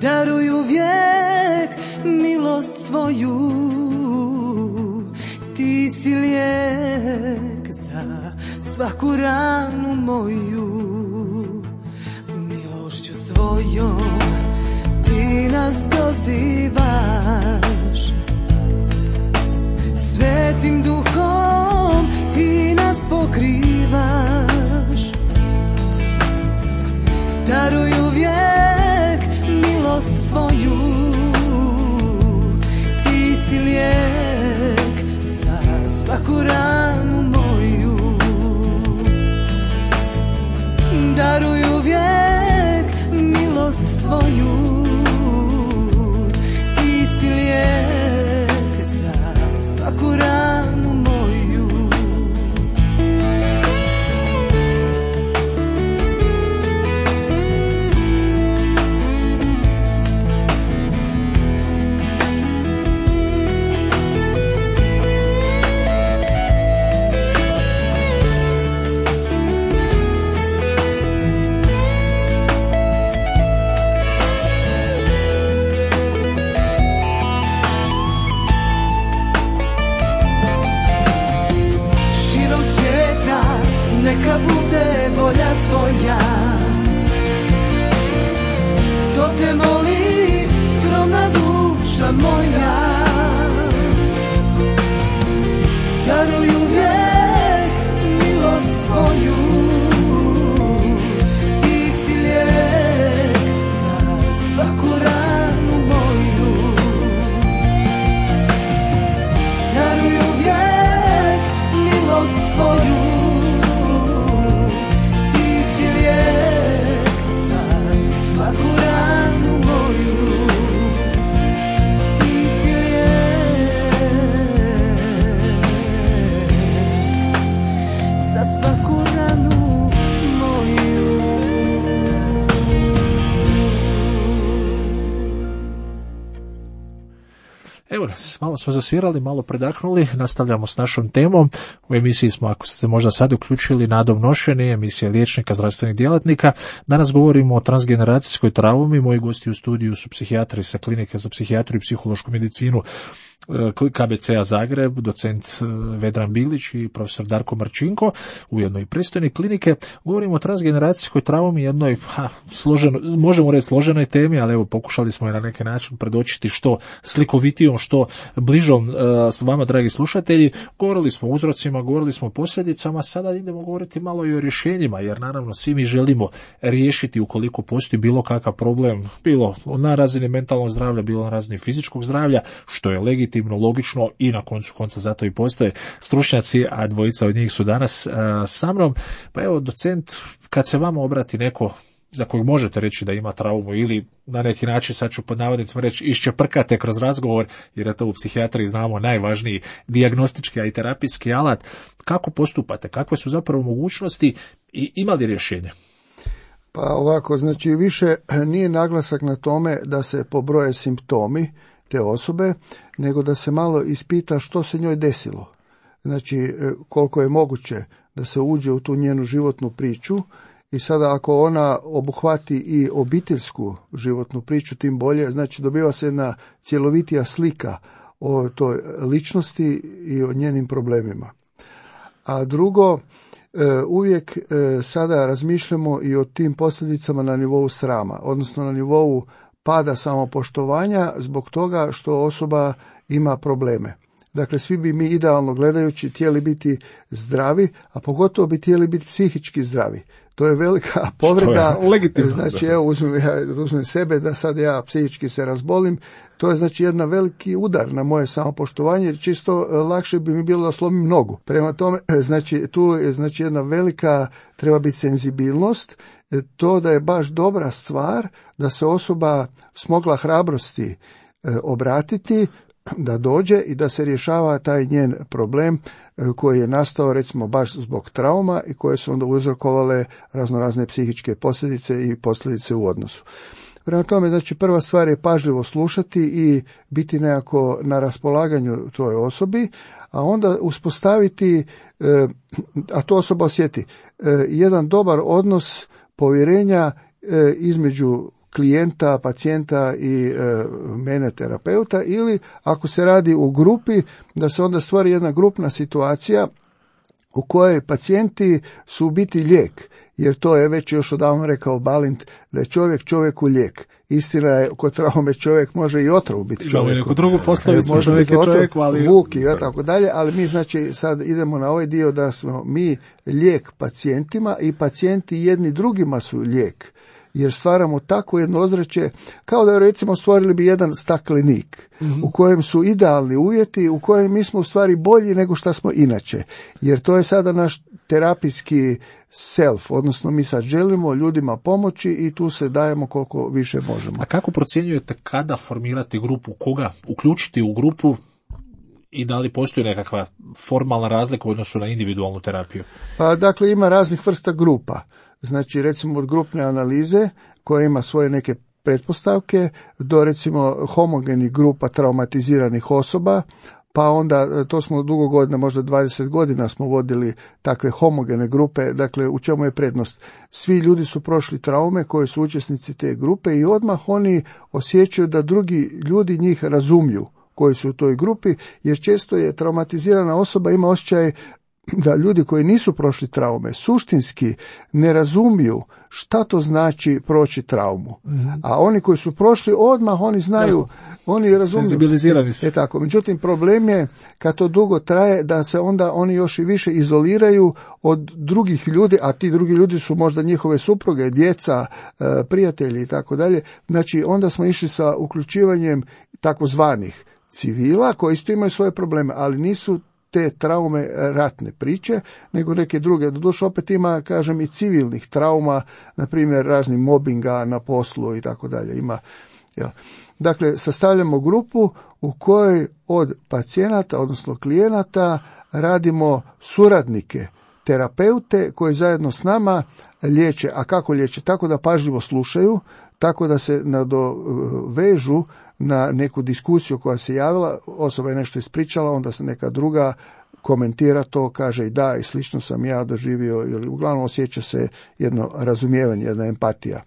Daruj uvijek milost svoju, ti si lijek za svaku ranu moju. Milošću svojom ti nas dozivaš, Svetim Duhom ti nas pokrivaš. Daruj uvijek milost svoju, ti si lijek za svaku ranu moju. Daruj uvijek milost svoju, ti si lijek za svaku ranu moju. Neka bude volja tvoja, to te moli skromna duša moja. Daruj uvijek milost svoju, ti si lijek za svaku ranu moju. Daruj uvijek milost svoju, svaku ranu moju, ti si lijek za svaku ranu moju. Evo nas, malo smo zasvirali, malo predahnuli, nastavljamo s našom temom. U emisiji smo, ako ste možda sad uključili, Nadom Nošeni, emisija liječnika, zdravstvenih djelatnika. Danas govorimo o transgeneracijskoj traumi. Moji gosti u studiju su psihijatri sa Klinike za psihijatriju i psihološku medicinu KBC-a Zagreb, docent Vedran Bilić i profesor Darko Marčinko, ujedno i predstojnik klinike. Govorimo o transgeneracijskoj traumi, jednoj možemo reći složenoj temi, ali evo pokušali smo je na neki način predočiti što slikovitijom, što bližom s vama, dragi slušatelji. Govorili smo o uzrocima, govorili smo o posljedicama, sada idemo govoriti malo i o rješenjima, jer naravno svi mi želimo riješiti ukoliko postoji bilo kakav problem, bilo na razini mentalnog zdravlja, bilo na razini fizičkog zdravlja, što je legitimno, logično i na koncu konca zato i postoje stručnjaci, a dvojica od njih su danas sa mnom. Pa evo, docent, kad se vama obrati neko za kojeg možete reći da ima traumu ili na neki način, sad ću pod navodnicima reći, iščeprkate kroz razgovor, jer je to u psihijatriji, znamo, najvažniji dijagnostički, a i terapijski alat, kako postupate, kakve su zapravo mogućnosti i ima li rješenje? Pa ovako, znači više nije naglasak na tome da se pobroje simptomi te osobe, nego da se malo ispita što se njoj desilo. Znači, koliko je moguće da se uđe u tu njenu životnu priču i sada ako ona obuhvati i obiteljsku životnu priču, tim bolje, znači dobiva se jedna cjelovitija slika o toj ličnosti i o njenim problemima. A drugo, uvijek sada razmišljamo i o tim posljedicama na nivou srama, odnosno na nivou pada samopoštovanja zbog toga što osoba ima probleme. Dakle, svi bi mi idealno gledajući htjeli biti zdravi, a pogotovo bi htjeli biti psihički zdravi. To je velika povreda. Legitimno. Znači, evo, uzmem sebe da sad ja psihički se razbolim. To je znači jedan veliki udar na moje samopoštovanje, jer čisto lakše bi mi bilo da slomim nogu. Prema tome, znači, tu je znači jedna velika, treba biti senzibilnost, to da je baš dobra stvar da se osoba smogla hrabrosti obratiti, da dođe i da se rješava taj njen problem koji je nastao recimo baš zbog trauma i koje su onda uzrokovale raznorazne psihičke posljedice i posljedice u odnosu. Prema tome, znači prva stvar je pažljivo slušati i biti nekako na raspolaganju toj osobi, a onda uspostaviti, a to osoba osjeti, jedan dobar odnos povjerenja između klijenta, pacijenta i mene terapeuta, ili ako se radi u grupi, da se onda stvori jedna grupna situacija u kojoj pacijenti su u biti lijek, jer to je već još odavno rekao Balint, da je čovjek čovjeku lijek. Istina je, kod traume čovjek može i otrov biti čovjek. Neku drugu poslovicu, može čovjek biti je čovjek, ali... vuk i tako dalje, ali mi znači sad idemo na ovaj dio da smo mi lijek pacijentima i pacijenti jedni drugima su lijek. Jer stvaramo tako jedno ozračje, kao da recimo stvorili bi jedan staklenik u kojem su idealni uvjeti, u kojem mi smo u stvari bolji nego što smo inače. Jer to je sada naš terapijski self, odnosno mi sad želimo ljudima pomoći i tu se dajemo koliko više možemo. A kako procjenjujete kada formirati grupu, koga uključiti u grupu i da li postoji nekakva formalna razlika u odnosu na individualnu terapiju? Pa dakle ima raznih vrsta grupa. Znači recimo od grupne analize koja ima svoje neke pretpostavke do recimo homogenih grupa traumatiziranih osoba, pa onda to smo dugo godina, možda 20 godina smo vodili takve homogene grupe. Dakle, u čemu je prednost? Svi ljudi su prošli traume koji su učesnici te grupe i odmah oni osjećaju da drugi ljudi njih razumiju koji su u toj grupi, jer često je traumatizirana osoba ima osjećaj da ljudi koji nisu prošli traume suštinski ne razumiju šta to znači proći traumu. A oni koji su prošli odmah oni znaju, oni razumiju. Senzibilizirani su. Tako. Međutim, problem je kad to dugo traje da se onda oni još i više izoliraju od drugih ljudi, a ti drugi ljudi su možda njihove supruge, djeca, prijatelji i tako dalje. Znači onda smo išli sa uključivanjem takozvanih civila koji isto imaju svoje probleme, ali nisu te traume ratne priče, nego neke druge. Doduše opet ima, kažem, i civilnih trauma, na primjer razni mobinga na poslu i tako dalje. Ima, ja. Dakle, sastavljamo grupu u kojoj od pacijenata, odnosno klijenata, radimo suradnike, terapeute koji zajedno s nama liječe. A kako liječe? Tako da pažljivo slušaju, tako da se nadovežu na neku diskusiju koja se javila, osoba je nešto ispričala, onda se neka druga komentira to, kaže i da, i slično sam ja doživio, ili uglavnom osjeća se jedno razumijevanje, jedna empatija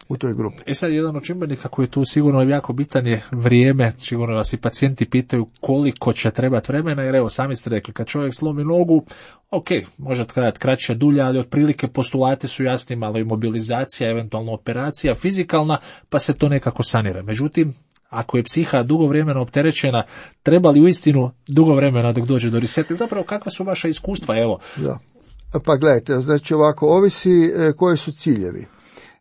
u toj grupi. Sad jedan od čimbenika koji je tu sigurno jako bitan je vrijeme. Sigurno vas i pacijenti pitaju koliko će trebati vremena, jer evo sami ste rekli, kad čovjek slomi nogu, ok, može trajati kraće, dulje, ali otprilike postulati su jasni, malo imobilizacija, eventualno operacija fizikalna, pa se to nekako sanira. Međutim, ako je psiha dugo vremena opterećena, treba li uistinu dugo vremena dok dođe do reseta? Zapravo, kakva su vaša iskustva? Evo. Da. Pa gledajte, znači ovako, ovisi koji su ciljevi.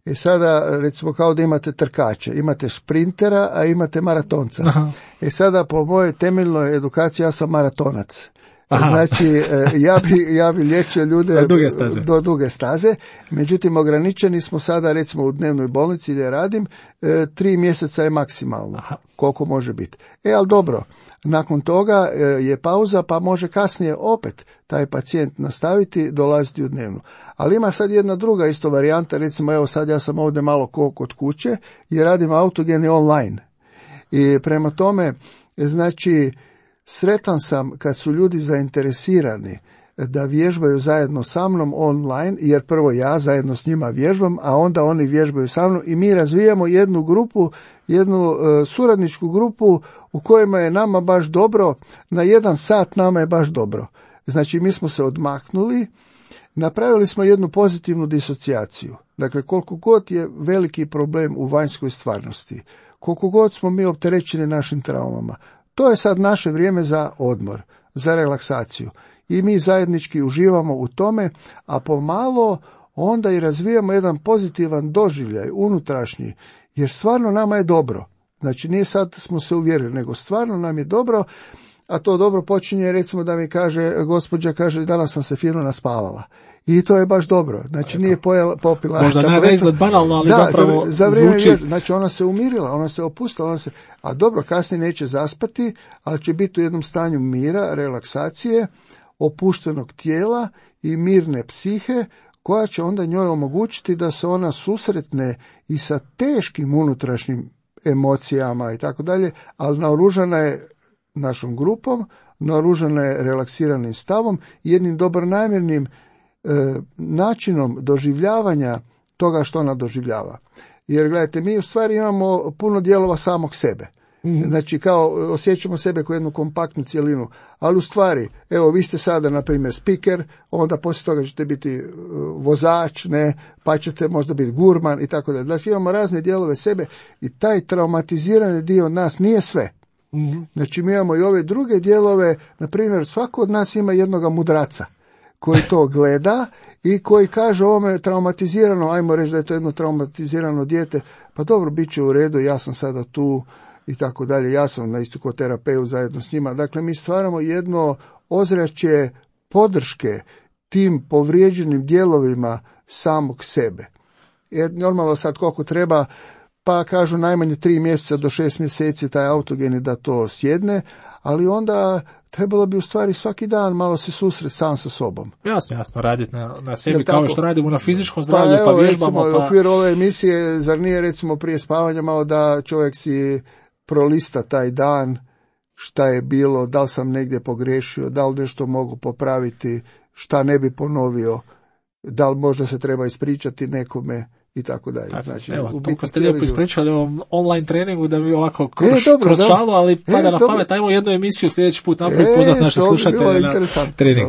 I sada, recimo, kao da imate trkače, imate sprintera, a imate maratonca. Aha. I sada, po mojoj temeljnoj edukaciji, ja sam maratonac. Aha. Znači, ja bi liječio ljude do duge staze, međutim, ograničeni smo sada, recimo, u dnevnoj bolnici gdje radim, 3 mjeseca je maksimalno, koliko može biti. Ali dobro, nakon toga je pauza, pa može kasnije opet taj pacijent nastaviti dolaziti u dnevnu. Ali ima sad jedna druga isto varijanta, recimo, evo sad ja sam ovdje malo kod kuće i radim autogeni online. I prema tome, znači, sretan sam kad su ljudi zainteresirani da vježbaju zajedno sa mnom online, jer prvo ja zajedno s njima vježbam, a onda oni vježbaju sa mnom i mi razvijamo jednu grupu, jednu suradničku grupu u kojima je nama baš dobro, na 1 sat nama je baš dobro. Znači mi smo se odmaknuli napravili smo jednu pozitivnu disocijaciju. Dakle, koliko god je veliki problem u vanjskoj stvarnosti, koliko god smo mi opterećeni našim traumama, to je sad naše vrijeme za odmor, za relaksaciju. I mi zajednički uživamo u tome, a pomalo onda i razvijamo jedan pozitivan doživljaj, unutrašnji, jer stvarno nama je dobro. Znači, nije sad smo se uvjerili, nego stvarno nam je dobro, a to dobro počinje, recimo da mi kaže, gospođa kaže, danas sam se fino naspavala. I to je baš dobro. Znači, nije popila... Možda ne izgled banalno, ali zapravo za vrijeme zvuči... Znači, ona se umirila, ona se opustila, a dobro, kasnije neće zaspati, ali će biti u jednom stanju mira, relaksacije, opuštenog tijela i mirne psihe, koja će onda njoj omogućiti da se ona susretne i sa teškim unutrašnjim emocijama i tako dalje, ali naoružana je našom grupom, naoružana je relaksiranim stavom i jednim dobronamjernim načinom doživljavanja toga što ona doživljava. Jer gledajte, mi u stvari imamo puno dijelova samog sebe. Znači, kao osjećamo sebe kao jednu kompaktnu cjelinu, ali u stvari, evo, vi ste sada, na primjer, speaker, onda poslije toga ćete biti vozač, ne, pa ćete možda biti gurman i tako dalje. Znači, imamo razne dijelove sebe i taj traumatizirani dio nas nije sve. Znači, mi imamo i ove druge dijelove, na primjer, svako od nas ima jednoga mudraca koji to gleda i koji kaže ovome traumatizirano, ajmo reći da je to jedno traumatizirano dijete, pa dobro, bit će u redu, ja sam sada tu, i tako dalje, ja sam na istokoterapiju zajedno s njima. Dakle, mi stvaramo jedno ozračje podrške tim povrijeđenim dijelovima samog sebe. Jer normalno sad koliko treba, pa kažu najmanje 3 mjeseca do 6 mjeseci taj autogeni da to sjedne, ali onda trebalo bi u stvari svaki dan malo se susreti sam sa sobom. Jasno, raditi na sebi kao što radimo na fizičkom zdravlju, pa vježbamo. Recimo, u okviru ove emisije, zar nije recimo prije spavanja malo da čovjek si prolista taj dan, šta je bilo, da li sam negdje pogriješio, da li nešto mogu popraviti, šta ne bi ponovio, da li možda se treba ispričati nekome i tako dalje. Znači, evo, toliko ste lijepo ispričali o online treningu da mi ovako kroz šalu, ali pada na pamet, ajmo jednu emisiju sljedeći put napraviti, poznat naše slušatelje na trening.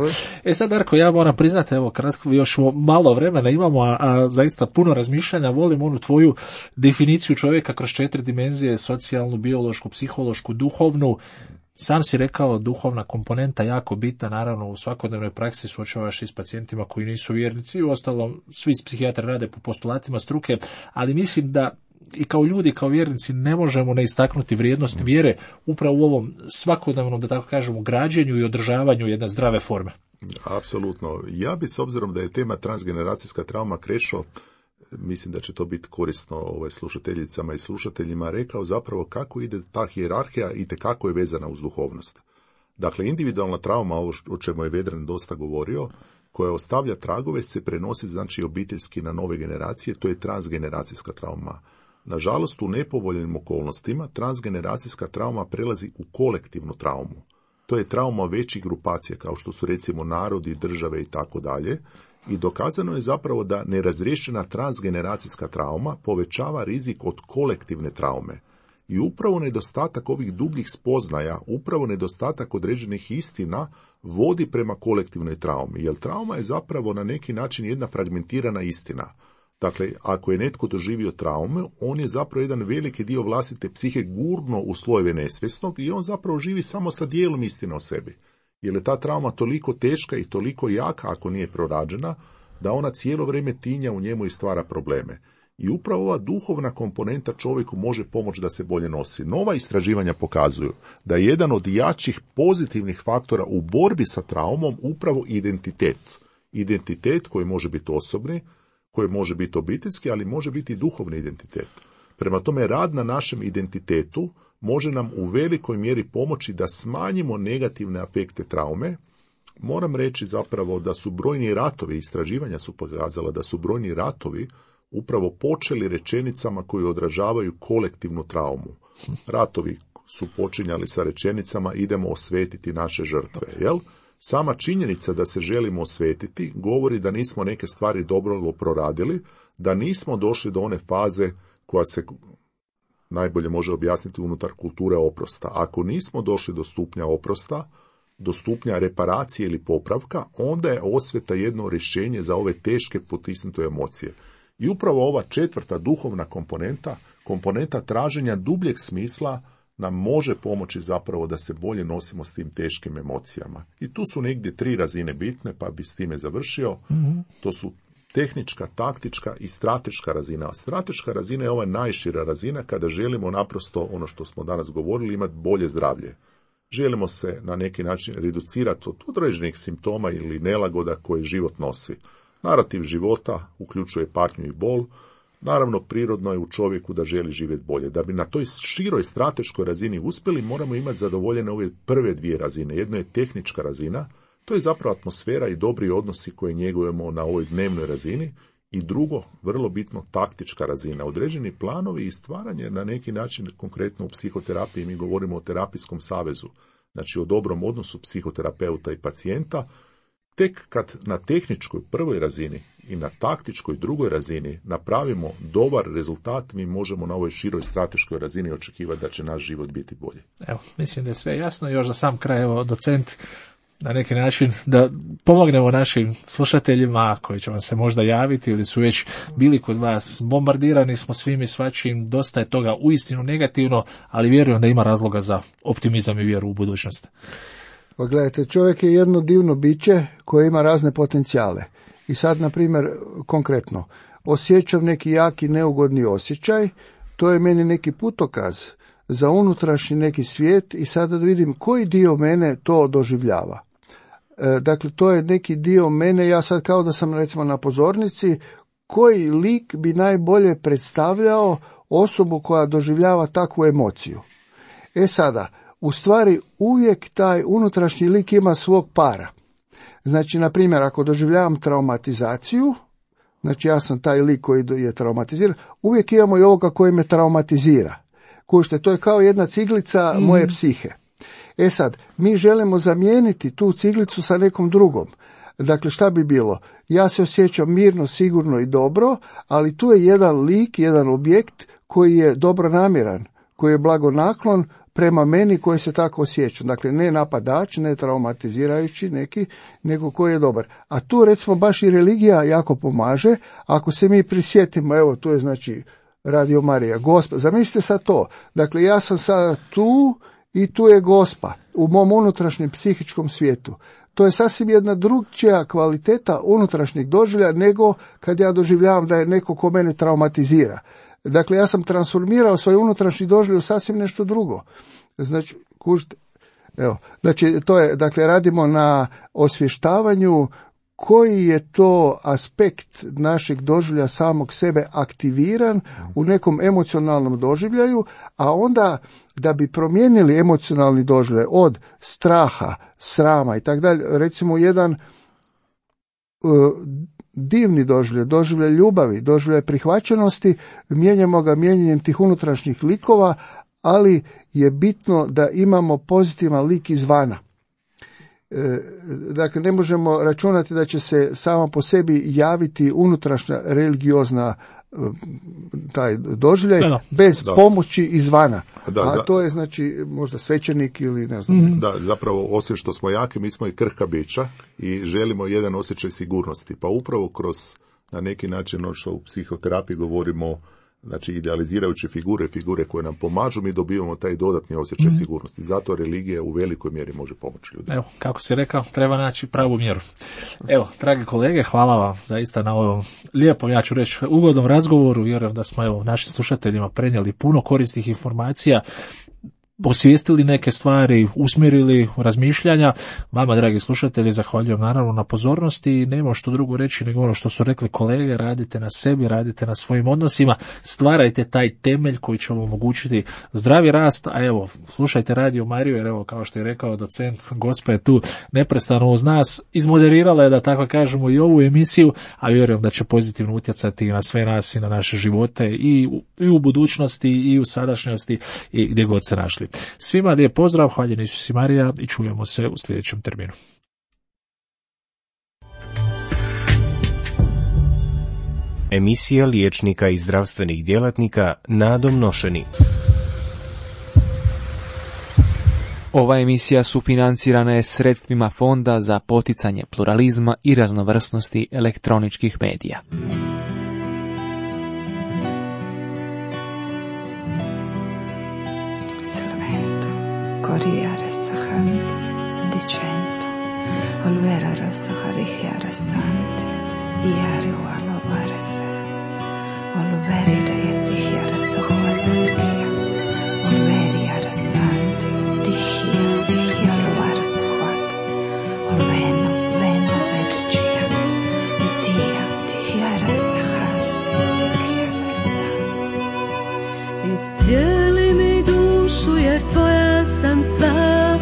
Sad, Darko, ja moram priznati, evo, kratko, još malo vremena imamo, a zaista puno razmišljanja, volim onu tvoju definiciju čovjeka kroz 4 dimenzije, socijalnu, biološku, psihološku, duhovnu. Sam si rekao, duhovna komponenta jako bitna, naravno u svakodnevnoj praksi suočavaš i s pacijentima koji nisu vjernici, uostalom svi psihijatri rade po postulatima struke, ali mislim da i kao ljudi, kao vjernici ne možemo ne istaknuti vrijednost vjere upravo u ovom svakodnevnom, da tako kažemo, građenju i održavanju jedne zdrave forme. Apsolutno. Ja bi, s obzirom da je tema transgeneracijska trauma, Krešo, mislim da će to biti korisno slušateljicama i slušateljima, rekao zapravo kako ide ta hijerarhija i tekako je vezana uz duhovnost. Dakle, individualna trauma, ovo o čemu je Vedran dosta govorio, koja ostavlja tragove, se prenosi znači obiteljski na nove generacije, to je transgeneracijska trauma. Nažalost, u nepovoljnim okolnostima transgeneracijska trauma prelazi u kolektivnu traumu. To je trauma većih grupacija, kao što su recimo narodi, države i tako dalje. I dokazano je zapravo da nerazriješena transgeneracijska trauma povećava rizik od kolektivne traume. I upravo nedostatak ovih dubljih spoznaja, upravo nedostatak određenih istina vodi prema kolektivnoj traumi. Jer trauma je zapravo na neki način jedna fragmentirana istina. Dakle, ako je netko doživio traume, on je zapravo jedan veliki dio vlastite psihe gurno u slojeve nesvjesnog i on zapravo živi samo sa dijelom istine o sebi. Jer je ta trauma toliko teška i toliko jaka ako nije prorađena, da ona cijelo vrijeme tinja u njemu i stvara probleme. I upravo ova duhovna komponenta čovjeku može pomoći da se bolje nosi. Nova istraživanja pokazuju da je jedan od jačih pozitivnih faktora u borbi sa traumom upravo identitet. Identitet koji može biti osobni, koji može biti obiteljski, ali može biti i duhovni identitet. Prema tome, rad na našem identitetu može nam u velikoj mjeri pomoći da smanjimo negativne afekte traume. Moram reći zapravo da su brojni ratovi, istraživanja su pokazala da su brojni ratovi upravo počeli rečenicama koji odražavaju kolektivnu traumu. Ratovi su počinjali sa rečenicama idemo osvetiti naše žrtve, jel? Sama činjenica da se želimo osvetiti govori da nismo neke stvari dobro proradili, da nismo došli do one faze koja se najbolje može objasniti unutar kulture oprosta. Ako nismo došli do stupnja oprosta, do stupnja reparacije ili popravka, onda je osveta jedno rješenje za ove teške potisnute emocije. I upravo ova četvrta duhovna komponenta traženja dubljeg smisla nam može pomoći zapravo da se bolje nosimo s tim teškim emocijama. I tu su negdje 3 razine bitne, pa bi s time završio. To su tehnička, taktička i strateška razina. Strateška razina je ova najšira razina kada želimo naprosto, ono što smo danas govorili, imati bolje zdravlje. Želimo se na neki način reducirati od određenih simptoma ili nelagoda koje život nosi. Narativ života uključuje patnju i bol. Naravno, prirodno je u čovjeku da želi živjeti bolje. Da bi na toj široj strateškoj razini uspjeli, moramo imati zadovoljene ove prve 2 razine. Jedna je tehnička razina, to je zapravo atmosfera i dobri odnosi koje njegujemo na ovoj dnevnoj razini. I drugo, vrlo bitno, taktička razina. Određeni planovi i stvaranje na neki način, konkretno u psihoterapiji, mi govorimo o terapijskom savezu, znači o dobrom odnosu psihoterapeuta i pacijenta. Tek kad na tehničkoj prvoj razini i na taktičkoj drugoj razini napravimo dobar rezultat, mi možemo na ovoj široj strateškoj razini očekivati da će naš život biti bolji. Evo, mislim da je sve jasno. Još za sam kraj, evo, docent, na neki način da pomognemo našim slušateljima koji će vam se možda javiti ili su već bili kod vas. Bombardirani smo svim i svačim, dosta je toga uistinu negativno, ali vjerujem da ima razloga za optimizam i vjeru u budućnost. Pa gledajte, čovjek je jedno divno biće koje ima razne potencijale. I sad, na primjer, konkretno, osjećam neki jaki neugodni osjećaj, to je meni neki putokaz za unutrašnji neki svijet i sada da vidim koji dio mene to doživljava. Dakle, to je neki dio mene, ja sad kao da sam recimo na pozornici, koji lik bi najbolje predstavljao osobu koja doživljava takvu emociju. Sada, u stvari uvijek taj unutrašnji lik ima svog para. Znači, na primjer, ako doživljavam traumatizaciju, znači ja sam taj lik koji je traumatiziran, uvijek imamo i ovoga koji me traumatizira. Kužite, to je kao jedna ciglica moje psihe. Sad, mi želimo zamijeniti tu ciglicu sa nekom drugom. Dakle, šta bi bilo? Ja se osjećam mirno, sigurno i dobro, ali tu je jedan lik, jedan objekt koji je dobronamjeran, koji je blagonaklon prema meni koji se tako osjećam. Dakle, ne napadač, ne traumatizirajući neki, nego koji je dobar. A tu recimo baš i religija jako pomaže. Ako se mi prisjetimo, evo tu je znači Radio Marija, Gospa, zamislite sad to. Dakle, ja sam sada tu i tu je Gospa u mom unutrašnjem psihičkom svijetu. To je sasvim jedna drugčija kvaliteta unutrašnjeg doživlja nego kad ja doživljavam da je neko ko mene traumatizira. Dakle, ja sam transformirao svoj unutrašnji doživljaj u sasvim nešto drugo. Znači, kužite, evo, znači, to je, dakle, radimo na osvještavanju koji je to aspekt našeg doživlja samog sebe aktiviran u nekom emocionalnom doživljaju, a onda da bi promijenili emocionalni doživljaj od straha, srama i tako dalje, recimo jedan divni doživljaj ljubavi, doživljaj prihvaćenosti, mijenjamo ga mijenjanjem tih unutrašnjih likova, ali je bitno da imamo pozitivan lik izvana. Dakle, ne možemo računati da će se samo po sebi javiti unutrašnja religiozna taj doživljaj bez pomoći izvana. A to je znači možda svećenik ili ne znam. Da, zapravo osim što smo jaki, mi smo i krhka bića i želimo jedan osjećaj sigurnosti. Pa upravo kroz na neki način ono što u psihoterapiji govorimo, znači idealizirajuće figure koje nam pomažu, mi dobivamo taj dodatni osjećaj sigurnosti. Zato religija u velikoj mjeri može pomoći ljudima. Evo, kako si rekao, treba naći pravu mjeru. Evo, dragi kolege, hvala vam zaista na ovom lijepom, ja ću reći, ugodnom razgovoru. Vjerujem da smo evo našim slušateljima prenijeli puno korisnih informacija, osvijestili neke stvari, usmjerili razmišljanja. Vama, dragi slušatelji, zahvaljujem naravno na pozornosti i nema što drugo reći nego ono što su rekli kolege, radite na sebi, radite na svojim odnosima, stvarajte taj temelj koji će vam omogućiti zdravi rast, a evo, slušajte Radio Mariju, jer evo, kao što je rekao docent, Gospa je tu neprestano uz nas, izmoderirala je, da tako kažemo, i ovu emisiju, a vjerujem da će pozitivno utjecati na sve nas i na naše živote i u budućnosti i u sadašnjosti i gdje god se našli. Svima lijep pozdrav, hvaljen Isus i Marija i čujemo se u sljedećem terminu. Emisija liječnika i zdravstvenih djelatnika Nadom Nošeni. Ova emisija sufinancirana je sredstvima Fonda za poticanje pluralizma i raznovrsnosti elektroničkih medija. Salvento, coriare sahant, dicento, olvera rosa harihiara sant, iari ualo varese, olveri reisihiara sohuatatkia, olveri ara sant, dihia rovar sohuat, olveno, veno vedčija, dihiara sahant, dihiara sant. Iscijeli mi dušu jer tvoja sam sva,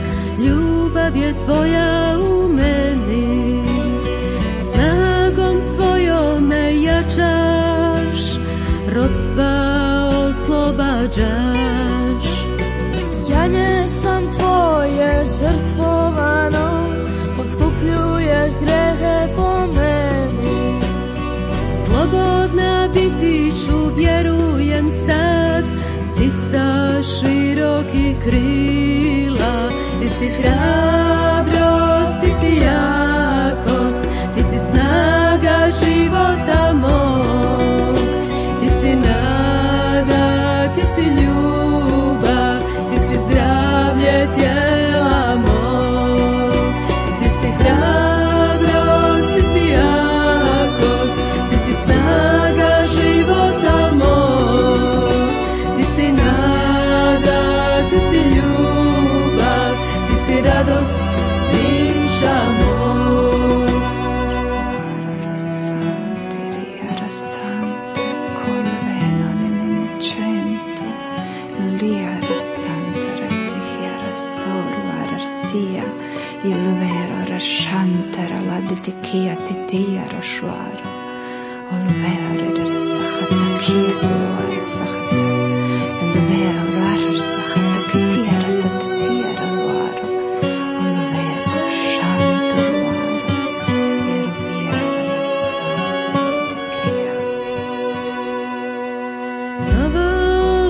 ljubav je tvoja u meni. Snagom svojom me jačaš, ropstva oslobađaš. Janje sam tvoje žrtvovano, otkupljuješ grehe po meni. Slobodna biti ću, vjerujem sad, ptica širokih krila. Ti si hrabrost, ti si jakost, ti si snaga života mog. Ti si nada, ti si ljubav, ti si zdravlje tijela mog. Ti si hrabrost, ti si jakost, ti si snaga života mog. Ti si nada, ti si ljubav, ti si radost bića mog. Riara sant, col veno nell'innocento, liara santa resihiara sorua arsia, il vero rasciantera la ditichia titiara shuara, ol vero resachata kia tuara sachata, il vero rasachata kitiara tatitiara luaro, ol vero shanto luaro, vero viara santa ditichia. Novo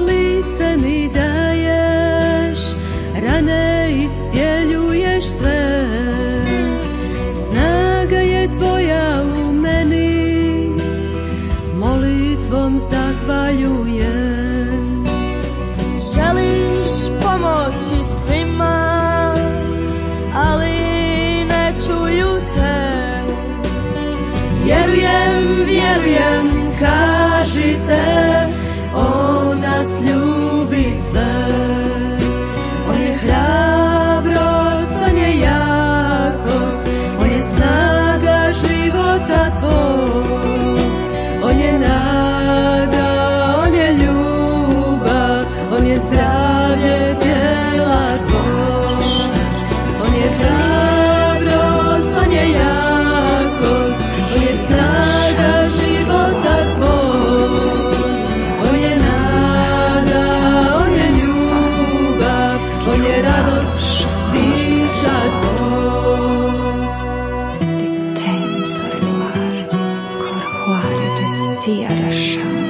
lice mi daješ, rane iscijeljuješ sve. Snaga je tvoja u meni, molitvom zahvaljujem. Želiš pomoći svima, ali ne čuju te. Vjerujem, kažite, on nas ljubi sve. On je hrabrost, on je jakost, on je snaga života tvoj. On je nada, on je ljubav, on je zdravlje tijela tvoj. On je hrabrost, on je jakost, on je snaga života tvoj. On je nada, on je ljubav, on je radost bića tvoj. Di tento ruar, cor huare resia rasciante.